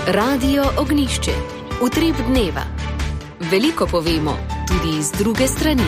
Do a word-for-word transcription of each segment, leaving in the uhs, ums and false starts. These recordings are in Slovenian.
Radio Ognišče, utrip dneva. Veliko povemo, tudi z druge strani.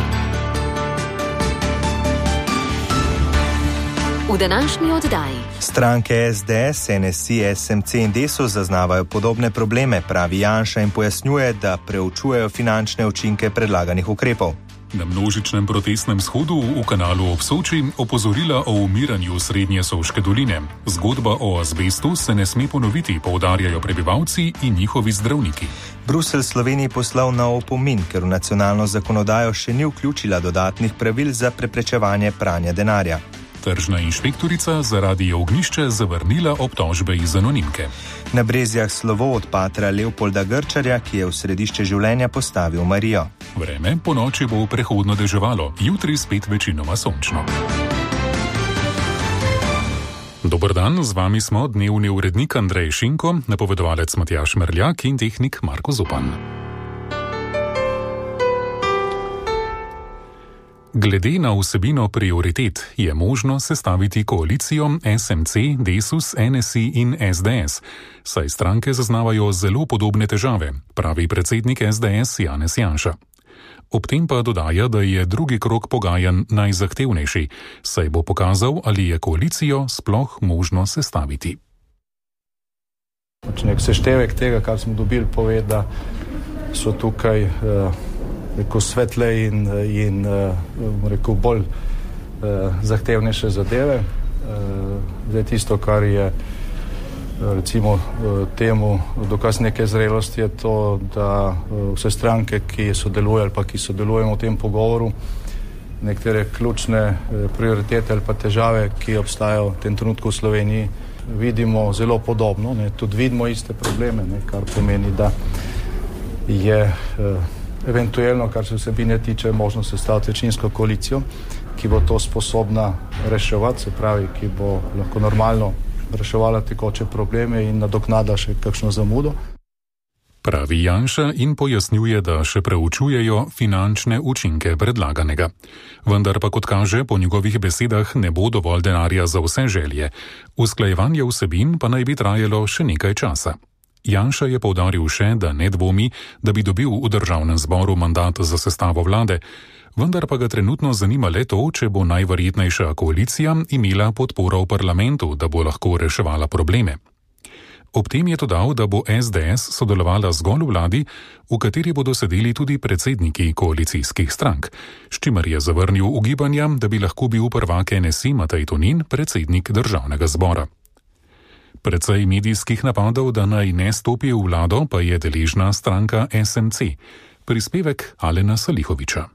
V današnji oddaji. Stranke S D S, N S I, S M C in Desus zaznavajo podobne probleme, pravi Janša in pojasnjuje, da preučujejo finančne učinke predlaganih ukrepov. Na množičnem protestnem shodu v Kanalu ob Soči opozorila o umiranju Srednje Soške doline. Zgodba o azbestu se ne sme ponoviti, poudarjajo prebivalci in njihovi zdravniki. Bruselj Sloveniji poslal na opomin, ker v nacionalno zakonodajo še ni vključila dodatnih pravil za preprečevanje pranja denarja. Tržna inšpektorica zaradi Ognišče zavrnila obtožbe iz anonimke. Na Brezjah slovo od patra Leopolda Grčarja, ki je v središče življenja postavil Marijo. Vreme po noči bo prehodno deževalo, jutri spet večinoma sončno. Dober dan, z vami smo dnevni urednik Andrej Šinko, napovedovalec Matjaž Merljak in tehnik Marko Zupan. Glede na vsebino prioritet je možno sestaviti koalicijo S M C, Desus, N S I in S D S, saj stranke zaznavajo zelo podobne težave, pravi predsednik S D S Janez Janša. Ob tem pa dodaja, da je drugi krog pogajanj najzahtevnejši, saj bo pokazal, ali je koalicijo sploh možno sestaviti. Nek seštevek tega, kar smo dobili, pove, da so tukaj uh... rekel svetle in, in rekel bolj eh, zahtevnejše zadeve. Eh, zdaj tisto, kar je recimo temu dokaz neke zrelosti, je to, da vse stranke, ki sodelujejo ali pa ki sodelujemo v tem pogovoru, nekatere ključne prioritete ali pa težave, ki obstajajo v tem trenutku v Sloveniji, vidimo zelo podobno, ne, tudi vidimo iste probleme, ne, kar pomeni, da je eh, eventualno, kar se vsebine tiče, možno sestaviti večinsko koalicijo, ki bo to sposobna reševati, se pravi, ki bo lahko normalno reševala tekoče probleme in nadoknada še kakšno zamudo. Pravi Janša in pojasnjuje, da še preučujejo finančne učinke predlaganega. Vendar pa, kot kaže, po njegovih besedah ne bo dovolj denarja za vse želje. Usklajevanje vsebin pa naj bi trajalo še nekaj časa. Janša je poudaril še, da ne dvomi, da bi dobil v državnem zboru mandat za sestavo vlade, vendar pa ga trenutno zanima le to, če bo najverjetnejša koalicija imela podporo v parlamentu, da bo lahko reševala probleme. Ob tem je dodal, da bo S D S sodelovala zgolj v vladi, v kateri bodo sedeli tudi predsedniki koalicijskih strank, s čimer je zavrnil ugibanja, da bi lahko bil prvak N S I Matej Tonin predsednik državnega zbora. Precej medijskih napadov, da naj ne stopi v vlado, pa je deležna stranka S M C. Prispevek Alena Salihoviča.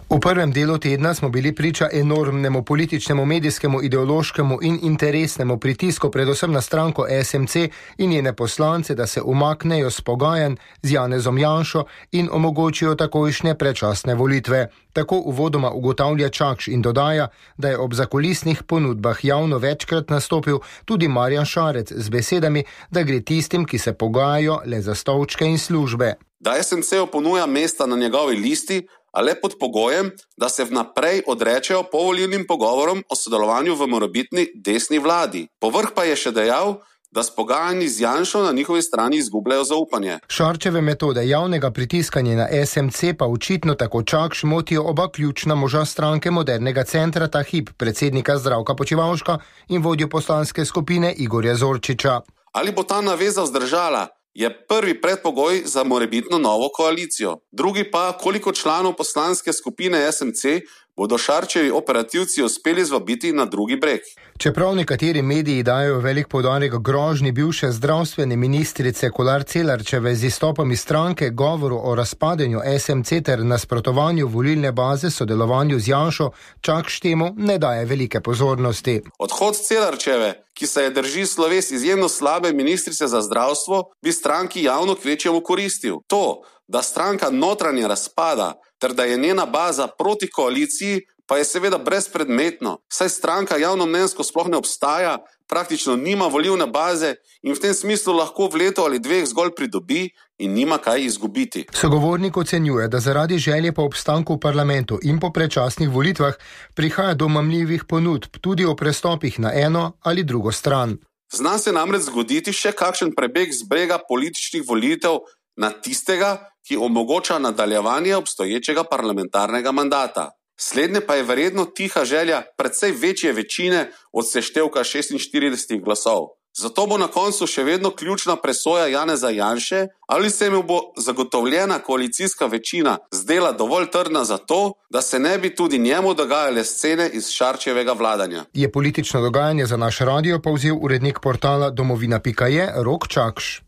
V prvem delu tedna smo bili priča enormnemu političnemu, medijskemu, ideološkemu in interesnemu pritisku predvsem na stranko S M C in njene poslance, da se umaknejo s pogajanj z Janezom Janšo in omogočijo takojšnje predčasne volitve. Tako uvodoma ugotavlja Čakš in dodaja, da je ob zakulisnih ponudbah javno večkrat nastopil tudi Marjan Šarec z besedami, da gre tistim, ki se pogajajo, le za stolčke in službe. Da S M C ponuja mesta na njegovi listi, a le pod pogojem, da se vnaprej odrečejo povolilnim pogovorom o sodelovanju v morebitni desni vladi. Povrh pa je še dejal, da s pogajanji z Janšo na njihovi strani izgubljajo zaupanje. Šarčeve metode javnega pritiskanja na S M C pa očitno tako Čakš motijo oba ključna moža stranke Modernega centra ta hip, predsednika Zdravka Počivalška in vodjo poslanske skupine Igorja Zorčiča. Ali bo ta naveza vzdržala, je prvi predpogoj za morebitno novo koalicijo. Drugi pa, koliko članov poslanske skupine S M C bodo Šarčevi operativci uspeli zvabiti na drugi breg. Čeprav nekateri mediji dajo velik poudarek grožnji bivše zdravstvene ministrice Kolar Celarčeve z izstopom iz stranke, govoru o razpadanju S M C ter nasprotovanju volilne baze sodelovanju z Janšo, Čakš temu ne daje velike pozornosti. Odhod Celarčeve, ki se je drži sloves izjemno slabe ministrice za zdravstvo, bi stranki javno kvečjemu koristil. To, da stranka notranje razpada, ter da je njena baza proti koaliciji, pa je seveda brezpredmetno, saj stranka javnomnenjsko sploh ne obstaja, praktično nima volilne baze in v tem smislu lahko v letu ali dveh zgolj pridobi in nima kaj izgubiti. Sogovornik ocenjuje, da zaradi želje po obstanku v parlamentu in po predčasnih volitvah prihaja do mamljivih ponudb tudi o prestopih na eno ali drugo stran. Zna se namreč zgoditi še kakšen prebeg z brega političnih volitev na tistega, ki omogoča nadaljevanje obstoječega parlamentarnega mandata. Slednje pa je verjetno tiha želja precej večje večine od seštevka šestinštirideset glasov. Zato bo na koncu še vedno ključna presoja Janeza Janše, ali se mu bo zagotovljena koalicijska večina zdela dovolj trdna za to, da se ne bi tudi njemu dogajale scene iz Šarčevega vladanja. Je politično dogajanje za naš radio povzel urednik portala domovina pika je Rok Čakš.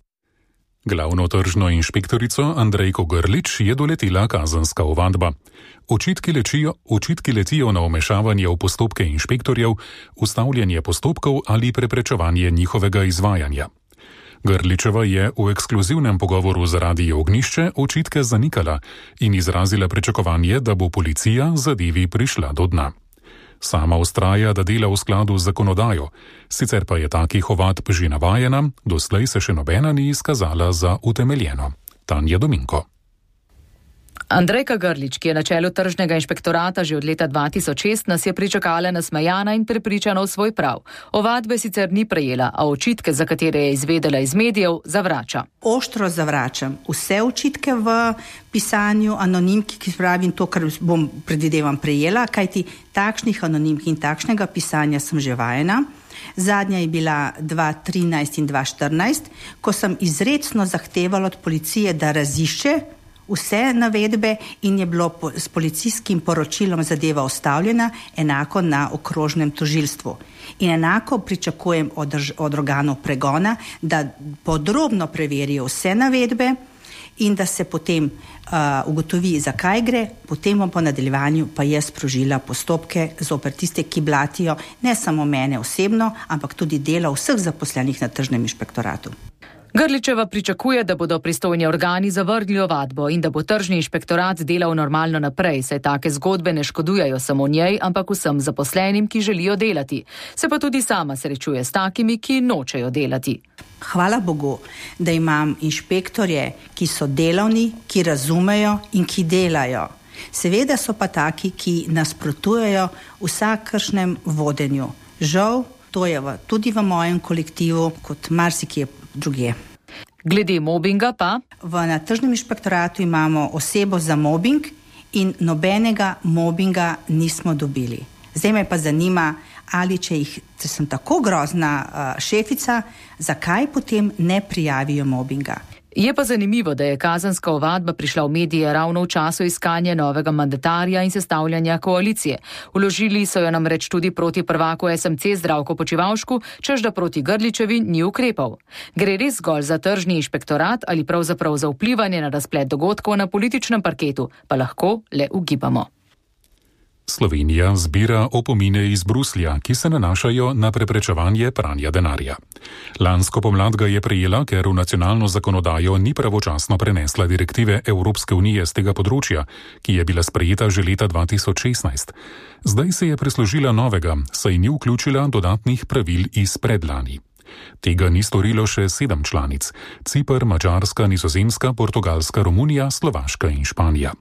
Glavno tržno inšpektorico Andrejko Grlič je doletela kazenska ovadba. Očitki, lečijo, očitki letijo na vmešavanje v postopke inšpektorjev, ustavljanje postopkov ali preprečevanje njihovega izvajanja. Grličeva je v ekskluzivnem pogovoru za Radio Ognjišče očitke zanikala in izrazila pričakovanje, da bo policija zadevi prišla do dna. Sama vztraja, da dela v skladu z zakonodajo, sicer pa je takih ovadb že navajena, doslej se še nobena ni izkazala za utemeljeno. Tanja Dominko. Andrejka Grlič, ki je na čelu tržnega inšpektorata že od leta dva tisoč šest, nas je pričakala nasmejana in prepričana v svoj prav. Ovadbe sicer ni prejela, a očitke, za katere je izvedela iz medijev, zavrača. Oštro zavračam vse očitke v pisanju anonimki, ki pravim to, kar bom predvidevam prejela, kajti takšnih anonimk in takšnega pisanja sem že vajena. Zadnja je bila dva tisoč trinajst in dva tisoč štirinajst, ko sem izrecno zahtevala od policije, da razišče vse navedbe in je bilo po, s policijskim poročilom zadeva ustavljena, enako na okrožnem tožilstvu. In enako pričakujem od, od organov pregona, da podrobno preverijo vse navedbe in da se potem uh, ugotovi, zakaj gre, potem bom po nadaljevanju pa je sprožila postopke zoper tiste, ki blatijo ne samo mene osebno, ampak tudi delo vseh zaposlenih na tržnem inšpektoratu. Grličeva pričakuje, da bodo pristojni organi zavrgli ovadbo in da bo tržni inšpektorat delal normalno naprej, saj take zgodbe ne škodujejo samo njej, ampak vsem zaposlenim, ki želijo delati. Se pa tudi sama srečuje s takimi, ki nočejo delati. Hvala Bogu, da imam inšpektorje, ki so delavni, ki razumejo in ki delajo. Seveda so pa taki, ki nasprotujejo vsakršnem vodenju. Žal, to je v, tudi v mojem kolektivu, kot marsikje drugje. Glede mobinga pa? V na tržnem inšpektoratu imamo osebo za mobing in nobenega mobinga nismo dobili. Zdaj me pa zanima, ali če jih, če sem tako grozna uh, šefica, zakaj potem ne prijavijo mobinga? Je pa zanimivo, da je kazenska ovadba prišla v medije ravno v času iskanja novega mandatarja in sestavljanja koalicije. Vložili so jo namreč tudi proti prvaku es em ce Zdravku Počivalšku, čež da proti Grličevi ni ukrepal. Gre res zgolj za tržni inšpektorat ali pravzaprav za vplivanje na razplet dogodkov na političnem parketu, pa lahko le ugibamo. Slovenija zbira opomine iz Bruslja, ki se nanašajo na preprečevanje pranja denarja. Lansko pomlad ga je prejela, ker v nacionalno zakonodajo ni pravočasno prenesla direktive Evropske unije z tega področja, ki je bila sprejeta že leta dva tisoč šestnajst. Zdaj se je prislužila novega, saj ni vključila dodatnih pravil iz predlani. Tega ni storilo še sedem članic: Ciper, Madžarska, Nizozemska, Portugalska, Romunija, Slovaška in Španija.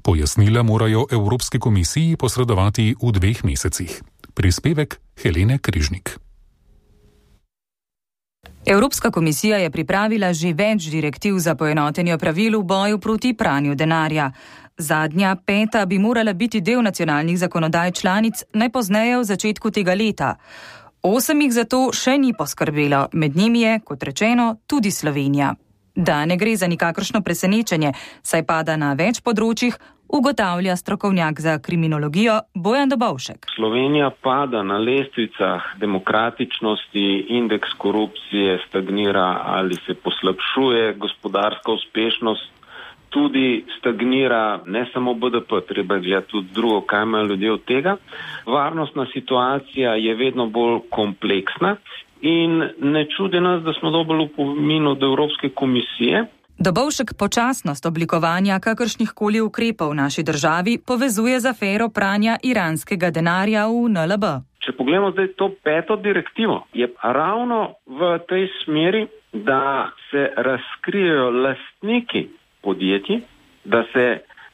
Pojasnila morajo Evropski komisiji posredovati v dveh mesecih. Prispevek Helene Križnik. Evropska komisija je pripravila že več direktiv za poenotenje pravil v boju proti pranju denarja. Zadnja, peta, bi morala biti del nacionalnih zakonodaj članic najpozneje v začetku tega leta. Osem jih zato še ni poskrbelo, med njimi je, kot rečeno, tudi Slovenija. Da ne gre za nikakršno presenečenje, saj pada na več področjih, ugotavlja strokovnjak za kriminologijo Bojan Dobovšek. Slovenija pada na lestvicah demokratičnosti, indeks korupcije stagnira ali se poslabšuje, gospodarska uspešnost tudi stagnira, ne samo be de pe, treba gledati tudi drugo, kaj imajo ljudje od tega. Varnostna situacija je vedno bolj kompleksna. In ne čudi nas, da smo dobili opomin od Evropske komisije. Dobovšek počasnost oblikovanja kakršnih koli ukrepov v naši državi povezuje z afero pranja iranskega denarja v en el be. Če pogledamo zdaj to peto direktivo, je ravno v tej smeri, da se razkrijejo lastniki podjetij, da se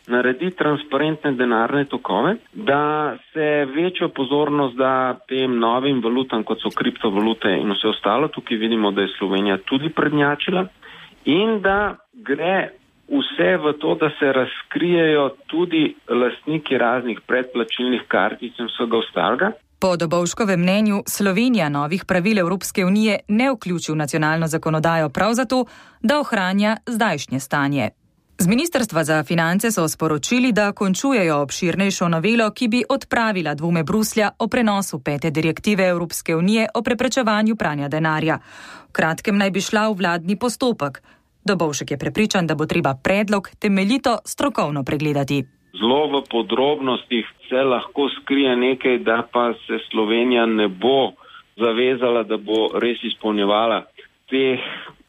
naredi transparentne denarne tokove, da se večjo pozornost da tem novim valutam, kot so kriptovalute in vse ostalo. Tukaj vidimo, da je Slovenija tudi prednjačila in da gre vse v to, da se razkrijejo tudi lastniki raznih predplačilnih kartic in vsega ostalega. Po Dobovškovem mnenju Slovenija novih pravil Evropske unije ne vključi v nacionalno zakonodajo prav zato, da ohranja zdajšnje stanje. Z Ministrstva za finance so sporočili, da končujejo obširnejšo novelo, ki bi odpravila dvome Bruslja o prenosu pete direktive Evropske unije o preprečevanju pranja denarja. V kratkem naj bi šla v vladni postopek. Dobovšek je prepričan, da bo treba predlog temeljito strokovno pregledati. Zelo v podrobnostih se lahko skrije nekaj, da pa se Slovenija ne bo zavezala, da bo res izpolnjevala teh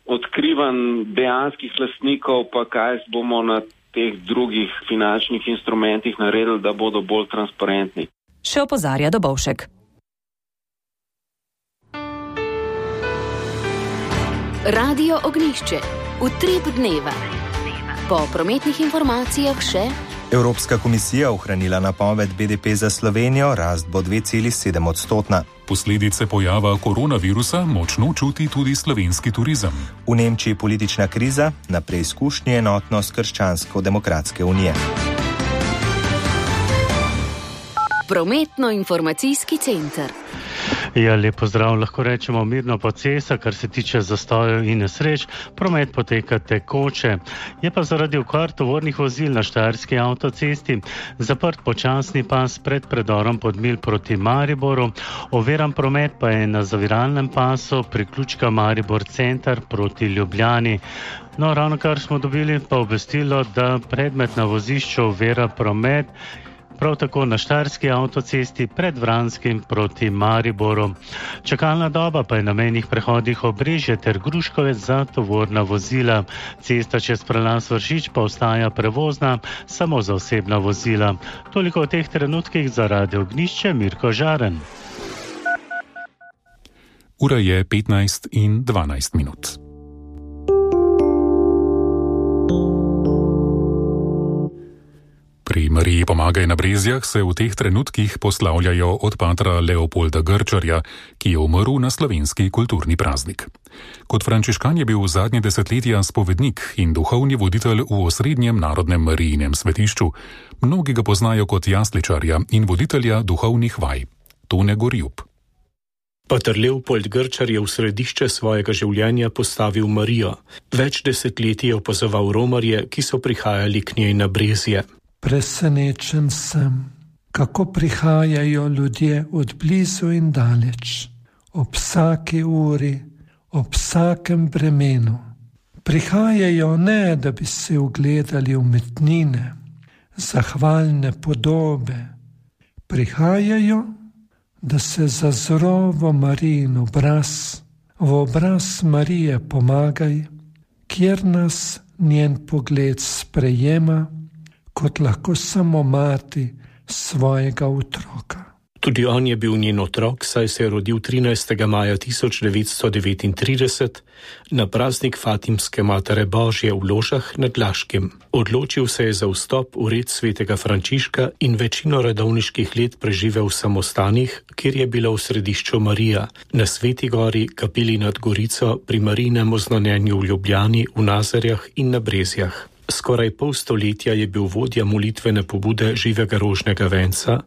odkrivanj dejanskih lastnikov, pa kaj bomo na teh drugih finančnih instrumentih naredili, da bodo bolj transparentni. Še opozarja Dobovšek. Radio Ognjišče. Utrip dneva. Po prometnih informacijah še Evropska komisija ohranila napoved B D P za Slovenijo, rast bo dve celi sedem odstotna. Posledice pojava koronavirusa močno čuti tudi slovenski turizem. V Nemčiji politična kriza, na preizkušnji enotnost Krščansko-demokratske unije. Prometno-informacijski center. Ja, lep pozdrav, lahko rečemo mirno po cesta, kar se tiče zastojev in nesreč, promet poteka tekoče. Je pa zaradi okvar tovornih vozil na Štajerski avtocesti zaprt počasni pas pred predorom Podmilj proti Mariboru, oviran promet pa je na zaviralnem pasu priključka Maribor center proti Ljubljani. No, ravno kar smo dobili pa obvestilo, da predmet na vozišču ovira promet, prav tako na Štajerski avtocesti pred Vranskim proti Mariboru. Čakalna doba pa je na mejnih prehodih Obrežje ter Gruškovec za tovorna vozila. Cesta čez prelaz Vršič pa ostaja prevozna samo za osebna vozila. Toliko v teh trenutkih za Radio Ognjišče, Mirko Žaren. Ura je petnajst in dvanajst minut. Pri Mariji Pomagaj na Brezjah se v teh trenutkih poslavljajo od patra Leopolda Grčarja, ki je umrl na slovenski kulturni praznik. Kot frančiškan je bil zadnje desetletja spovednik in duhovni voditelj v osrednjem narodnem Marijinem svetišču. Mnogi ga poznajo kot jasličarja in voditelja duhovnih vaj. Tone Gorjub. Pater Leopold Grčar je v središče svojega življenja postavil Marijo. Več desetletij je opazoval romarje, ki so prihajali k njej na Brezje. Presenečen sem, kako prihajajo ljudje od blizu in daleč, ob vsaki uri, ob vsakem bremenu. Prihajajo ne, da bi se ugledali umetnine, zahvalne podobe. Prihajajo, da se zazro v Marijin obraz, v obraz Marije Pomagaj, kjer nas njen pogled sprejema, kot lahko samo mati svojega otroka. Tudi on je bil njen otrok, saj se je rodil trinajstega maja tisoč devetsto devetintrideset na praznik Fatimske Matere Božje v Ložah nad Laškim. Odločil se je za vstop v red svetega Frančiška in večino redovniških let preživel v samostanih, kjer je bila v središču Marija, na Sveti gori, kapeli nad Gorico, pri Marijinem oznanjenju v Ljubljani, v Nazarjah in na Brezjah. Skoraj pol stoletja je bil vodja molitvene pobude Živega rožnega venca,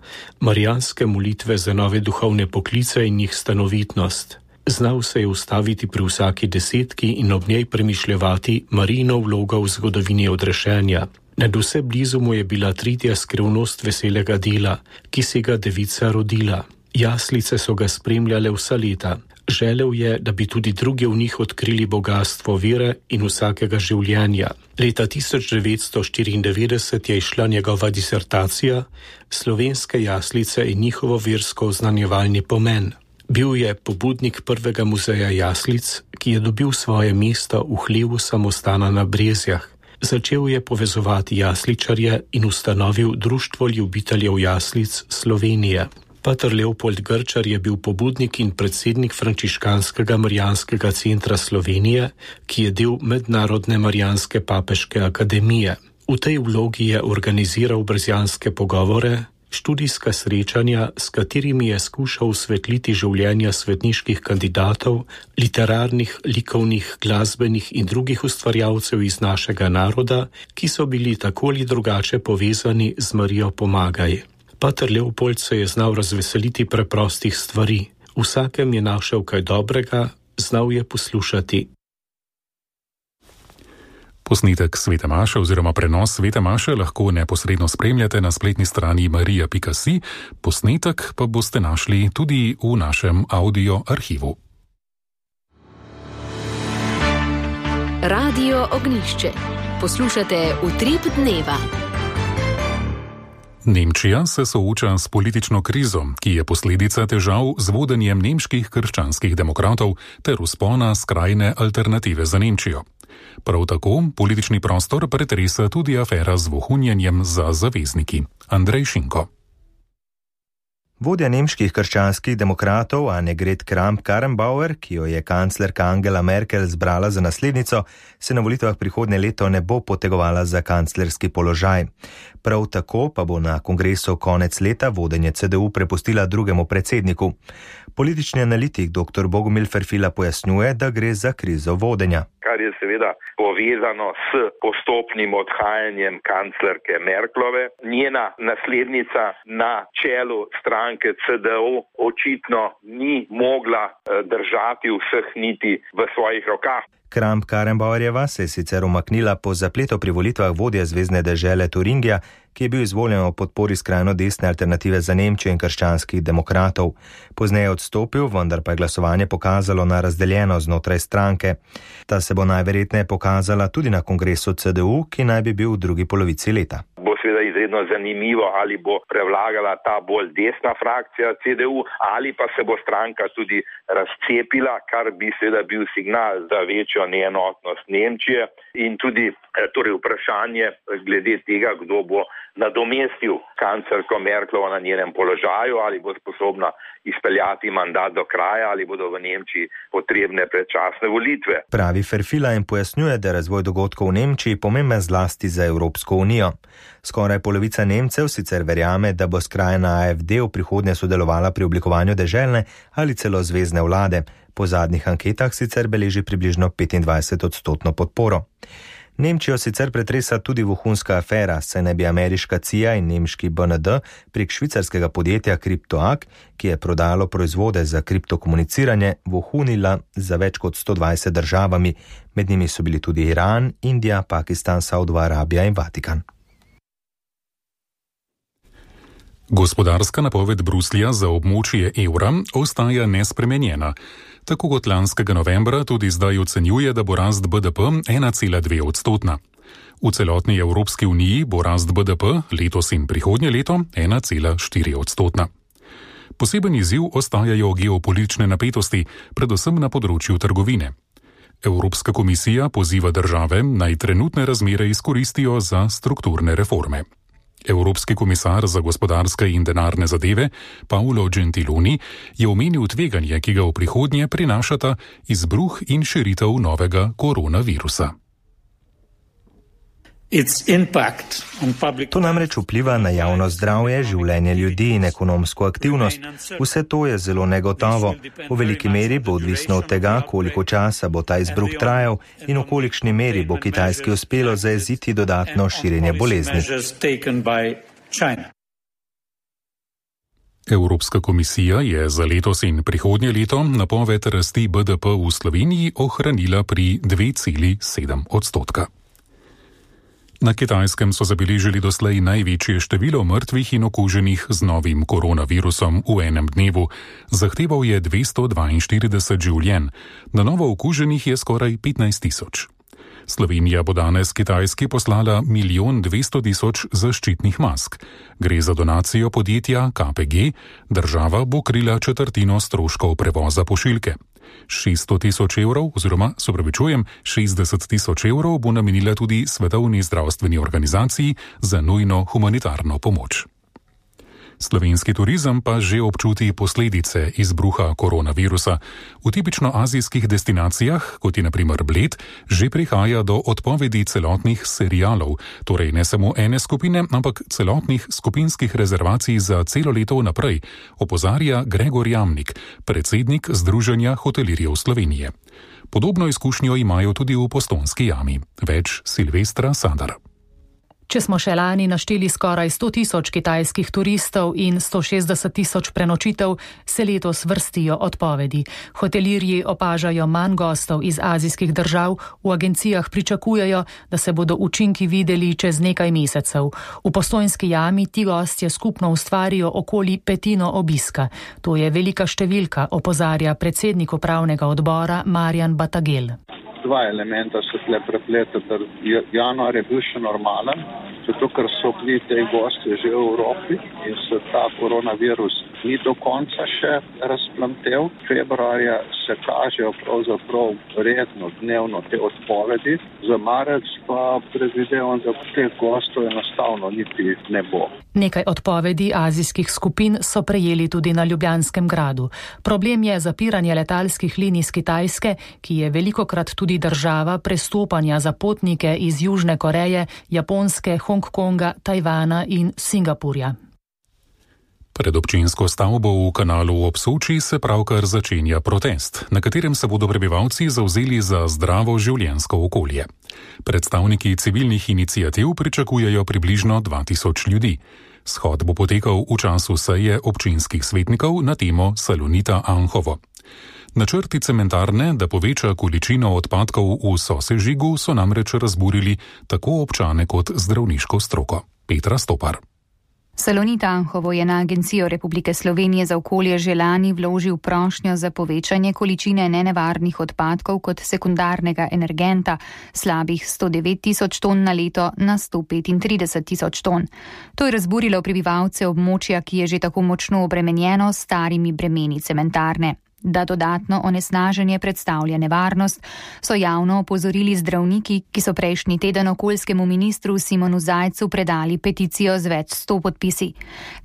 marijanske molitve za nove duhovne poklice in njih stanovitnost. Znal se je ustaviti pri vsaki desetki in ob njej premišljevati Marijino vlogo v zgodovini odrešenja. Nadvse blizu mu je bila tretja skrivnost veselega dela, ki si ga devica rodila. Jaslice so ga spremljale vsa leta. Želel je, da bi tudi drugi v njih odkrili bogatstvo vere in vsakega življenja. Leta tisoč devetsto štiriindevetdeset je izšla njegova disertacija Slovenske jaslice in njihovo versko oznanjevalni pomen. Bil je pobudnik prvega muzeja jaslic, ki je dobil svoje mesto v hlevu samostana na Brezjah. Začel je povezovati jasličarje in ustanovil Društvo ljubiteljev jaslic Slovenije. Pater Leopold Grčar je bil pobudnik in predsednik frančiškanskega Marijanskega centra Slovenije, ki je del Mednarodne Marijanske papeške akademije. V tej vlogi je organiziral brezjanske pogovore, študijska srečanja, s katerimi je skušal osvetliti življenja svetniških kandidatov, literarnih, likovnih, glasbenih in drugih ustvarjalcev iz našega naroda, ki so bili tako ali drugače povezani z Marijo Pomagaj. Pater Leopold se je znal razveseliti preprostih stvari. Vsakem je našel kaj dobrega, znal je poslušati. Posnetek Svete maše oziroma prenos Svete maše lahko neposredno spremljate na spletni strani marija pika si, posnetek pa boste našli tudi v našem audio arhivu. Radio Ognjišče. Poslušate Utrip dneva. Nemčija se sooča s politično krizo, ki je posledica težav z vodenjem nemških krščanskih demokratov ter vzpona skrajne alternative za Nemčijo. Prav tako politični prostor pretresa tudi afera z vohunjenjem za zavezniki. Andrej Šinko. Vodja nemških krščanskih demokratov Annegret Kramp-Karrenbauer, ki jo je kanclerka Angela Merkel zbrala za naslednico, se na volitvah prihodnje leto ne bo potegovala za kanclerski položaj. Prav tako pa bo na kongresu konec leta vodenje C D U prepustila drugemu predsedniku. Politični analitik dr. Bogomil Ferfila pojasnjuje, da gre za krizo vodenja. Kar je seveda povezano s postopnim odhajanjem kanclerke Merklove. Njena naslednica na čelu stranke C D U očitno ni mogla držati vseh niti v svojih rokah. Kramp-Karrenbauerjeva se je sicer umaknila po zapletu pri volitvah vodje zvezne dežele Turingija, ki je bil izvoljen v podpori skrajno desne alternative za Nemčijo in krščanskih demokratov. Pozneje odstopil, vendar pa je glasovanje pokazalo na razdeljeno znotraj stranke. Ta se bo najverjetneje pokazala tudi na kongresu C D U, ki naj bi bil v drugi polovici leta. Bo seveda izredno zanimivo, ali bo prevlagala ta bolj desna frakcija C D U, ali pa se bo stranka tudi razcepila, kar bi seveda bil signal za večjo neenotnost Nemčije in tudi torej vprašanje glede tega, kdo bo nadomestil kanclerko Merklovo na njenem položaju, ali bo sposobna izpeljati mandat do kraja, ali bodo v Nemčiji potrebne predčasne volitve. Pravi Ferfila in pojasnjuje, da je razvoj dogodkov v Nemčiji pomemben zlasti za Evropsko unijo. Skoraj polovica Nemcev sicer verjame, da bo skrajna A F D v prihodnje sodelovala pri oblikovanju deželne ali celo zvezne vlade. Po zadnjih anketah sicer beleži približno petindvajset odstotno podporo. Nemčijo sicer pretresa tudi vohunska afera, saj naj bi ameriška C I A in nemški B N D prek švicarskega podjetja CryptoAg, ki je prodalo proizvode za kriptokomuniciranje, vohunila za več kot sto dvajset državami. Med njimi so bili tudi Iran, Indija, Pakistan, Saudova Arabija in Vatikan. Gospodarska napoved Bruslja za območje evra ostaja nespremenjena. Tako kot lanskega novembra tudi zdaj ocenjuje, da bo rast B D P ena cela dve odstotna. V celotni Evropski uniji bo rast B D P letos in prihodnje leto ena cela štiri odstotna. Poseben izziv ostajajo geopolitične napetosti, predvsem na področju trgovine. Evropska komisija poziva države, naj trenutne razmere izkoristijo za strukturne reforme. Evropski komisar za gospodarske in denarne zadeve Paolo Gentiloni je omenil tveganje, ki ga v prihodnje prinašata izbruh in širitev novega koronavirusa. To namreč vpliva na javno zdravje, življenje ljudi in ekonomsko aktivnost. Vse to je zelo negotovo. V veliki meri bo odvisno od tega, koliko časa bo ta izbruh trajal in v kolikšni meri bo Kitajski uspelo zajeziti dodatno širjenje bolezni. Evropska komisija je za letos in prihodnje leto napoved rasti B D P v Sloveniji ohranila pri dve celi sedem odstotka. Na Kitajskem so zabeležili doslej največje število mrtvih in okuženih z novim koronavirusom v enem dnevu. Zahteval je dvesto dvainštirideset življenj, na novo okuženih je skoraj petnajst tisoč. Slovenija bo danes Kitajski poslala milijon dvesto tisoč zaščitnih mask. Gre za donacijo podjetja K P G, država bo krila četrtino stroškov prevoza pošiljke. šeststo tisoč evrov oziroma, se opravičujem, šestdeset tisoč evrov bo namenila tudi Svetovni zdravstveni organizaciji za nujno humanitarno pomoč. Slovenski turizem pa že občuti posledice izbruha koronavirusa. V tipično azijskih destinacijah, kot je na primer Bled, že prihaja do odpovedi celotnih serialov, torej ne samo ene skupine, ampak celotnih skupinskih rezervacij za celo leto naprej, opozarja Gregor Jamnik, predsednik Združenja hotelirjev Slovenije. Podobno izkušnjo imajo tudi v Postojnski jami. Več Silvestra Sadar. Če smo še lani našteli skoraj sto tisoč kitajskih turistov in sto šestdeset tisoč prenočitev, se letos vrstijo odpovedi. Hotelirji opažajo manj gostov iz azijskih držav, v agencijah pričakujejo, da se bodo učinki videli čez nekaj mesecev. V Postojnski jami ti gostje skupno ustvarijo okoli petino obiska. To je velika številka, opozarja predsednik upravnega odbora Marjan Batagel. Dva elementa se tle prepletata. Januar je bil še normalen, zato ker so bili te gosti že v Evropi in se ta koronavirus ni do konca še razplamtel. Februarja se kažejo pravzaprav redno, dnevno te odpovedi. Za marec pa predvidevam, da teh gostov enostavno niti ne bo. Nekaj odpovedi azijskih skupin so prejeli tudi na Ljubljanskem gradu. Problem je zapiranje letalskih linij z Kitajske, ki je velikokrat tudi država prestopanja za potnike iz Južne Koreje, Japonske, Hongkonga, Tajvana in Singapurja. Pred občinsko stavbo v kanalu ob Soči se pravkar začenja protest, na katerem se bodo prebivalci zavzeli za zdravo življenjsko okolje. Predstavniki civilnih iniciativ pričakujejo približno dva tisoč ljudi. Shod bo potekal v času seje občinskih svetnikov na temo Salonita Anhovo. Načrti cementarne, da poveča količino odpadkov v sosežigu, so namreč razburili tako občane kot zdravniško stroko. Petra Stopar. Salonit Anhovo je na Agencijo Republike Slovenije za okolje že lani vložil prošnjo za povečanje količine nenevarnih odpadkov kot sekundarnega energenta slabih sto devet tisoč ton na leto na sto petintrideset tisoč ton. To je razburilo prebivalce območja, ki je že tako močno obremenjeno s starimi bremeni cementarne. Da dodatno onesnaženje predstavlja nevarnost, so javno opozorili zdravniki, ki so prejšnji teden okoljskemu ministru Simonu Zajcu predali peticijo z več sto podpisi.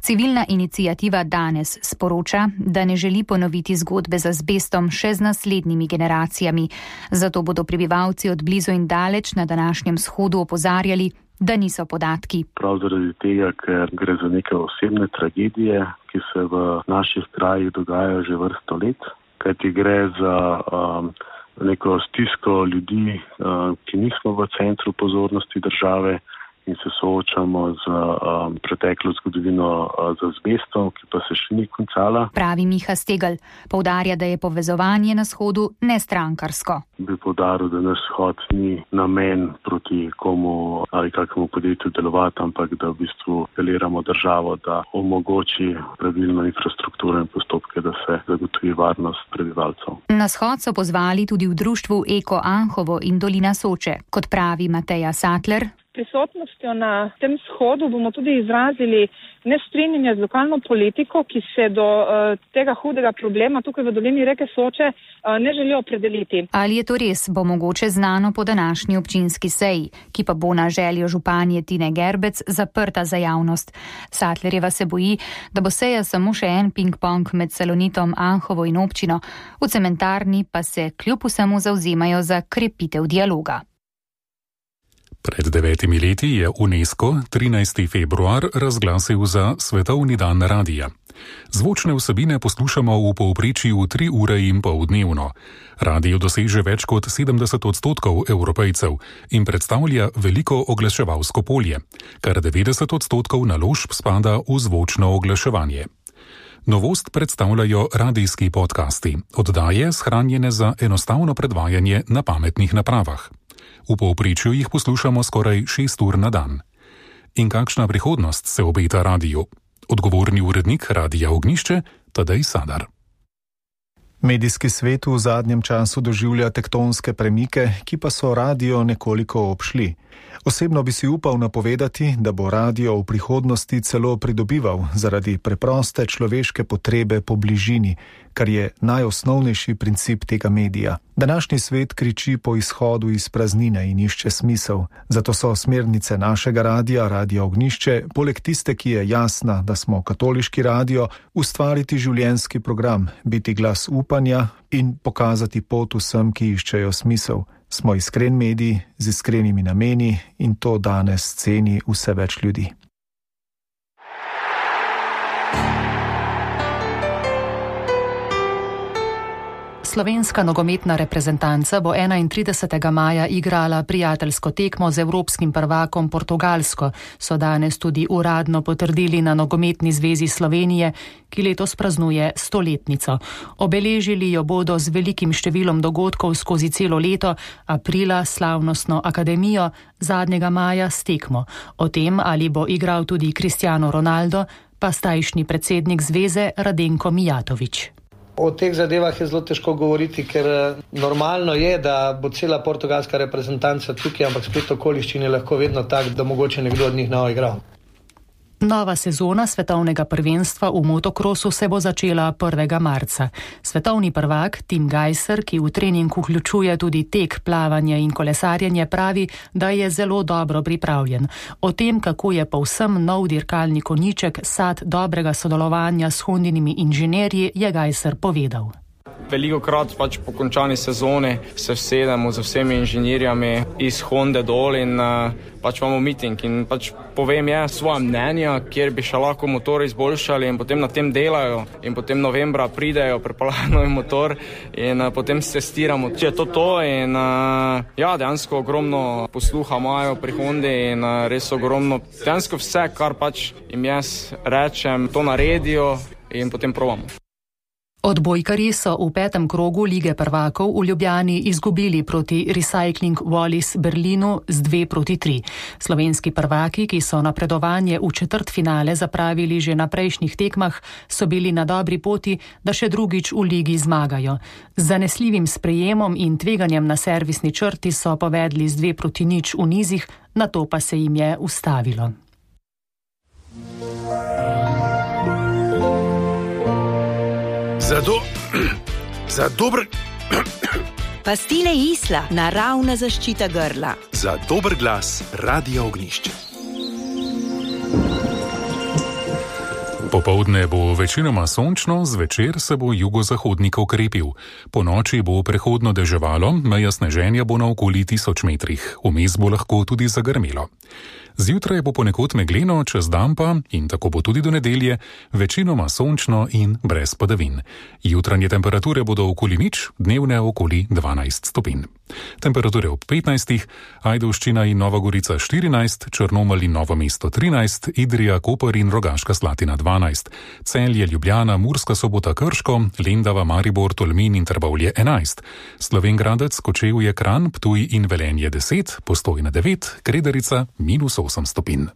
Civilna iniciativa danes sporoča, da ne želi ponoviti zgodbe z azbestom še z naslednjimi generacijami. Zato bodo prebivalci od blizu in daleč na današnjem shodu opozarjali, da niso podatki. Prav zaradi tega, ker gre za neke osebne tragedije, ki se v naših krajih dogajajo že vrsto let, kajti gre za um, neko stisko ljudi, um, ki nismo v centru pozornosti države in se soočamo z um, preteklo zgodovino uh, z azbestom, ki pa se še ni končala. Pravi Miha Stegl, poudarja, da je povezovanje na shodu nestrankarsko. Bi poudaril, da naš shod ni namen proti komu ali kakemu podjetju delovati, ampak da v bistvu apeliramo državo, da omogoči pravilno infrastrukturo in postopke, da se zagotovi varnost prebivalcev. Na shod so pozvali tudi v društvu Eko Anhovo in Dolina Soče, kot pravi Mateja Sattler. Prisotnostjo na tem shodu bomo tudi izrazili nestrinjanje z lokalno politiko, ki se do uh, tega hudega problema tukaj v dolini reke Soče uh, ne želijo opredeliti. Ali je to res, bo mogoče znano po današnji občinski seji, ki pa bo na željo županje Tine Gerbec zaprta za javnost. Sattlerjeva se boji, da bo seja samo še en ping-pong med Salonitom Anhovo in občino, v cementarni pa se kljub vsemu zavzemajo za krepitev dialoga. Pred devetimi leti je UNESCO trinajsti februar razglasil za Svetovni dan radija. Zvočne vsebine poslušamo v povprečju tri ure in pol dnevno. Radio doseže več kot sedemdeset odstotkov Evropejcev in predstavlja veliko oglaševalsko polje, kar devetdeset odstotkov naložb spada v zvočno oglaševanje. Novost predstavljajo radijski podcasti, oddaje shranjene za enostavno predvajanje na pametnih napravah. V povprečju jih poslušamo skoraj šest ur na dan. In kakšna prihodnost se obeta radiju? Odgovorni urednik Radia Ognjišče, Tadej Sadar. Medijski svet v zadnjem času doživlja tektonske premike, ki pa so radio nekoliko obšli. Osebno bi si upal napovedati, da bo radio v prihodnosti celo pridobival zaradi preproste človeške potrebe po bližini, kar je najosnovnejši princip tega medija. Današnji svet kriči po izhodu iz praznine in išče smisel. Zato so smernice našega radija, Radia Ognjišče, poleg tiste, ki je jasna, da smo katoliški radio, ustvariti življenjski program, biti glas upanja in pokazati pot vsem, ki iščejo smisel. Smo iskren medij z iskrenimi nameni in to danes ceni vse več ljudi. Slovenska nogometna reprezentanca bo enaintridesetega maja igrala prijateljsko tekmo z evropskim prvakom Portugalsko, so danes tudi uradno potrdili na Nogometni zvezi Slovenije, ki letos praznuje stoletnico. Obeležili jo bodo z velikim številom dogodkov skozi celo leto, aprila slavnostno akademijo, zadnjega maja s tekmo. O tem, ali bo igral tudi Cristiano Ronaldo, pa zdajšnji predsednik zveze Radenko Mijatović. O teh zadevah je zelo težko govoriti, ker normalno je, da bo cela portugalska reprezentanca tukaj, ampak spet okoliščine lahko vedno tak, da mogoče nekdo od njih ne bo igral. Nova sezona svetovnega prvenstva v motokrosu se bo začela prvega marca. Svetovni prvak Tim Gajser, ki v trening vključuje tudi tek, plavanje in kolesarjenje, pravi, da je zelo dobro pripravljen. O tem, kako je povsem nov dirkalni konjiček sad dobrega sodelovanja s Hondinimi inženirji, je Gajser povedal. Veliko krat pač po končani sezoni se vsedemo z vsemi inženirjami iz Honde dol in uh, pač imamo meeting in pač povem je svoje mnenja, kjer bi še lahko motor izboljšali in potem na tem delajo in potem novembra pridejo, prepalajo novi motor in uh, potem se testiramo, če je to to in uh, ja, dejansko ogromno posluha imajo pri Hondi in uh, res ogromno, dejansko vse, kar pač jim jaz rečem, to naredijo in potem probamo. Odbojkarji so v petem krogu Lige prvakov v Ljubljani izgubili proti Recycling Wallis Berlinu z dve proti tri. Slovenski prvaki, ki so napredovanje v četrtfinale zapravili že na prejšnjih tekmah, so bili na dobri poti, da še drugič v ligi zmagajo. Z zanesljivim sprejemom in tveganjem na servisni črti so povedli z dve proti nič v nizih, nato pa se jim je ustavilo. Za, do, za dober... Pastile Isla, naravna zaščita grla. Za dober glas, Radio Ognjišče. Popoldne bo večinoma sončno, zvečer se bo jugozahodnik okrepil. Po noči bo prehodno deževalo, meja sneženja bo na okoli tisoč metrih. Vmes bo lahko tudi zagrmelo. Zjutraj bo ponekod megleno, čez dan pa, in tako bo tudi do nedelje, večinoma sončno in brez padavin. Jutranje temperature bodo okoli nič, dnevne okoli dvanajst stopinj. Temperature ob petnajstih, Ajdovščina in Nova Gorica štirinajst, Črnomelj in Novo mesto trinajst, Idrija, Koper in Rogaška Slatina dvanajst, Celje, Ljubljana, Murska Sobota, Krško, Lendava, Maribor, Tolmin in Trbovlje enajst, Slovenj Gradec, Kočevje, Kranj, Ptuj in Velenje deset, Postojna devet, Kredarica minus osem stopinj.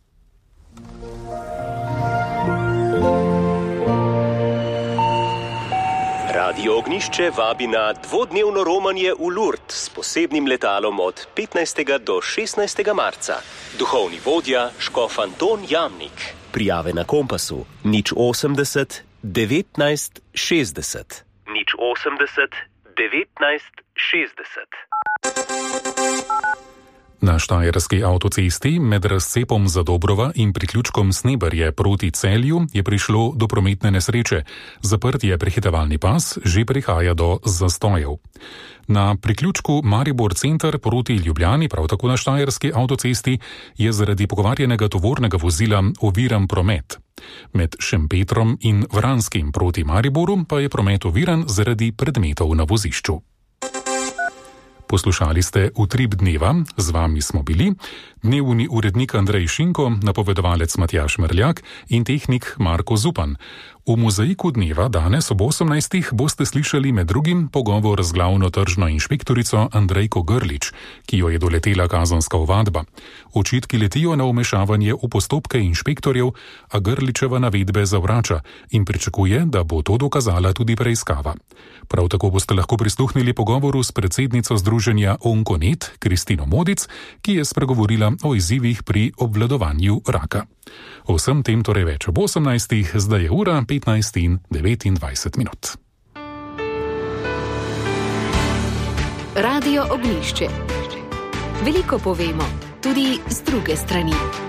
Radio Ognjišče vabi na dvodnevno romanje v Lourdes s posebnim letalom od petnajstega do šestnajstega marca. Duhovni vodja škof Anton Jamnik. Prijave na Kompasu nič osemdeset devetnajst šestdeset. nič osemdeset devetnajst šestdeset. Na štajerski avtocesti med razcepom Zadobrova in priključkom Sneberje proti Celju je prišlo do prometne nesreče. Zaprt je prehitevalni pas, že prihaja do zastojev. Na priključku Maribor center proti Ljubljani, prav tako na štajerski avtocesti, je zaradi pogovarjenega tovornega vozila oviran promet. Med Šempetrom in Vranskim proti Mariboru pa je promet oviran zaradi predmetov na vozišču. Poslušali ste Utrip dneva, z vami smo bili dnevni urednik Andrej Šinko, napovedovalec Matjaž Merljak in tehnik Marko Zupan. V mozaiku dneva danes ob osemnajstih boste slišali med drugim pogovor z glavno tržno inšpektorico Andrejko Grlič, ki jo je doletela kazenska ovadba. Očitki letijo na vmešavanje v postopke inšpektorjev, a Grličeva navedbe zavrača in pričakuje, da bo to dokazala tudi preiskava. Prav tako boste lahko prisluhnili pogovoru s predsednico združenja Onkonet, Kristino Modic, ki je spregovorila o izzivih pri obvladovanju raka. O vsem tem torej več ob osemnajstih, zdaj je ura petnajst in devetindvajset minut. Radio Ognišče. Veliko povemo, tudi z druge strani.